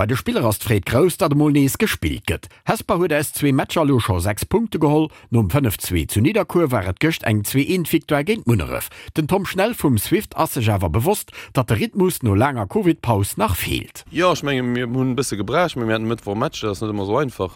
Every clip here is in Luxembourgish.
Bei de Spiller ass d'Freed grouss, datt emol nees gespillt gëtt. Hesper huet aus zwee Matcher elo scho 6 Punkte geholl. Nom 5, 2 zu Nidderkuer war et gëscht eng 2, 1 Victoire géint Munneref. Den Tom Schnell vum Swift ass sech awer bewosst, datt de Rhythmus no laanger Covid-Paus nach feelt. Jo, ech menge mir hunn e bësse gebraucht, mee mir haten e Mëttwoch e Match, dat ass net ëmmer esou einfach.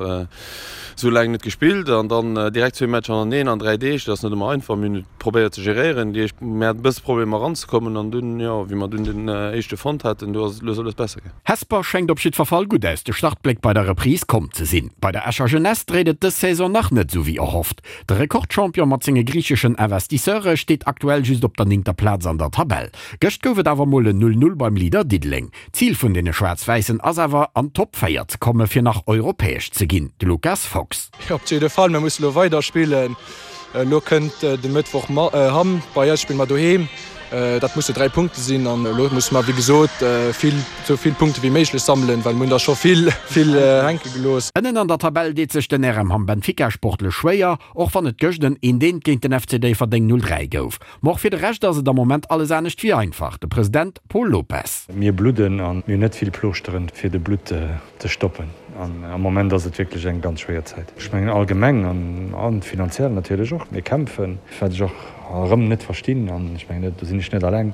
Esou laang net gespillt an dann direkt zwee Matcher hannerteneen an 3 Deeg, dat ass net ëmmer einfach. Mir hunn et probéiert ze geréieren, déi éischt, mir haten e bësse Problemer eranzekommen an dunn, jo, wéi mer dunn den éischte fonnt haten, du ass et lues a lues besser gaang. Hesper schéngt op jiddwer Fall gutt aus de Startbléck bei der Reprise komm ze sinn. Bei der Escher Jeunesse dréit et dës Saison nach net esou wéi erhofft. De Rekordchampion mat senge griicheschen Investisseure steet aktuell just op der néngter Plaz an der Tabell. Gëscht gouf et awer mol en 0, 0 beim Leader Diddeleng. D'Zil vun deene Schwaarz-Wäissen ass awer, an d'Top 4 ze komme fir nach europäesch ze ginn. De Lucas Fox. Op jidde Fall, mir musse lo weider spillen. Elo kënnt de Mëttwoch Hamm bei eis, spille mer doheem. Dat musse 3 Punkte sinn an elo musse mer wéi gesot vill, esou vill Punkte wéi méiglech sammelen, well mir hunn der scho vill, vill hänke gelooss. Ënnen an der Tabell deet sech den RM Hamm Benfica sportlech schwéier, och wann et gëscht en eent eent géint den FC Déifferdeng 0, 3 gouf. Ma och fir de Rescht ass et am Moment alles anescht wéi einfach. De President Paul Lopes. Mir bludden an mir hunn net vill Plooschteren, fir de Blutt ze stoppen. An am Moment ass et wierklech eng ganz schwéier Zäit. Ech mengen allgemeng an finanziell natierlech och. Mir kämpfen, wat ech och erëm net verstinn, an ech mengen do sinn ech net alleng,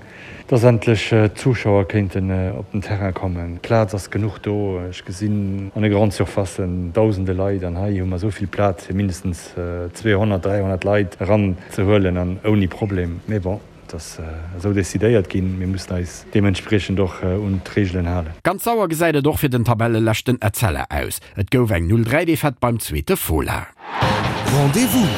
dass endlech d'Zuschauer kéinten op den Terrain kommen. Plaz ass genuch do. Ech gesinn an de Grande Surfacen dausende Leit an hei hu mer esou vill Plaz fir mindestens 200, 300 Leit eran ze huelen an ouni Problem. Mee bon, et ass esou decidéiert ginn, mir mussen eis deementspriechend och un d'Reegelen halen. Ganz sauer gesäit et och fir den Tabelleleschten Etzella aus. Et gouf eng 0, 3 Defaite beim zweete Fola. Rendez-vous!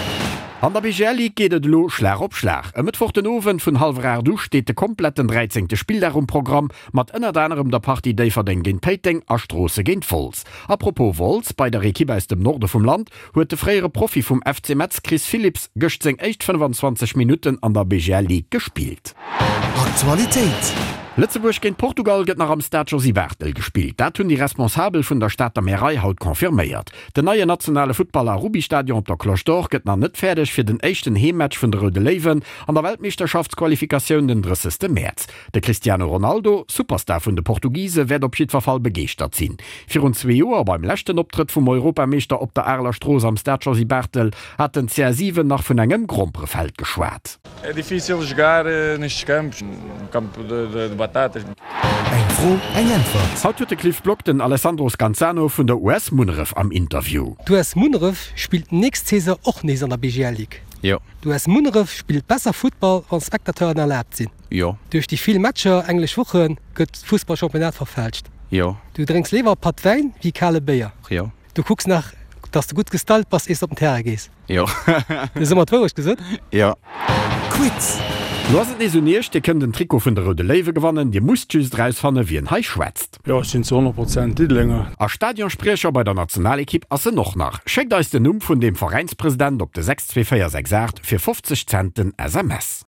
An der BGL Ligue geet et elo Schlag op Schlag. E Mëttwoch den Owend vun hallwer 8 u steet de kompletten 13. Spilldag um Programm, mat ënnert anerem der Partie Déifferdeng géint Péiteng a Stroosse géint Wolz. A propos Wolz, bei der Ekipp aus dem Norde vum Land huet de fréiere Profi vum FC Metz Chris Philipps gëscht seng éischt 25 Minutten an der BGL Ligue gespillt. Aktualitéit. Lëtzebuerg géint Portugal gëtt nach am Stade Josy Barthel gespillt. Dat hunn déi Responsabel vun der Stater Märei haut confirméiert. Den neien nationale Futtball a Rubbystadion op der Cloche d'Or gëtt nach net fäerdeg fir den éischten Heemmatch vun de Roude Léiwen an der Weltmeeschterschaftsqualifikatioun den 30. Mäerz. De Cristiano Ronaldo, Superstar vun de Portugise, wäert op jiddwer Fall begeeschtert sinn. Virun zwee Joer, beim leschten Optrëtt vum Europameeschter op der Areler Strooss am Stade Josy Barthel, hat den CR7 nach vun engem Gromperefeld geschwat. É difícil jogar nestes campos, um campo de batatas. Eng Fro, eng Äntwert. Haut huet de Cliff Block den Alessandro Scanzano vun der US Munneref am Interview. D'US Munneref spillt nächst Saison och nees an der BGL Ligue. Jo. D'US Munneref spillt besser Futtball wann Spectateuren erlaabt sinn. Jo. Duerch déi vill Matcher englesch Woche gëtt d'Fussballchampionnat verfälscht. Jo. Du drénks léiwer e Patt Wäin wéi kale Béier. Jo. Du kucks nach, dass de gutt gestylt bass, iers de op den Terrain gees. Jo. Du hues ëmmer d'Wourecht gesot. Jo. Quiz. Lo ass et nees un iech, Dir kënnt en Trikot vun de Roude Léiwe gewannen. Dir musst just erausfanne wien hei schwätzt. Jo, ech sinn zu 100 Prozent Diddelenger. A Stadionspriecher bei der Nationalekipp ass en och nach. Schéckt eis den Numm vun deem Veräinspresident op de 62468 fir 50 Cent den SMS.